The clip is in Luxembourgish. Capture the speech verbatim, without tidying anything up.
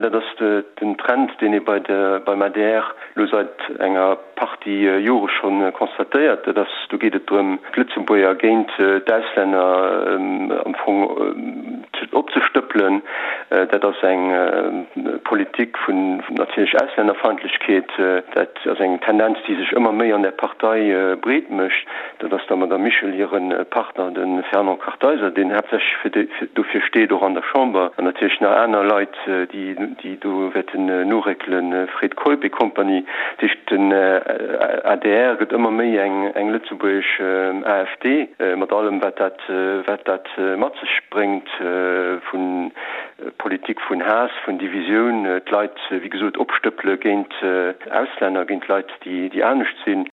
Dat ass den Trend, deen ee bei de, beim adr elo säit enger Partie Jore scho constatéiert. Dat ass, do geet et drëm, d'Lëtzebuerger géint d'Auslänner am Fong opzestëppelen. Dat ass eng Politik vun natierlech Auslännerfeindlechkeet. Dat ass eng Tendenz, déi sech ëmmer méi an där Partei breet mécht. Dat ass der Madamm Michel hire Partner, de Fernand Kartheiser, deen haaptsächlech fir déi, dofir steet, och an der Chamber, an natierlech nach aner Leit, déi, déi do wäerten noréckelen, Fred Keup et compagnie. Dat heescht, den adr gëtt ëmmer méi eng, eng lëtzebuergesch AfD, mat allem, wat dat, wat dat mat sech bréngt vu Politik vun Haass, vun Divisioun, d'Leit, wéi gesot, opstëppele géint Auslänner, géint Leit, déi, déi anescht sinn.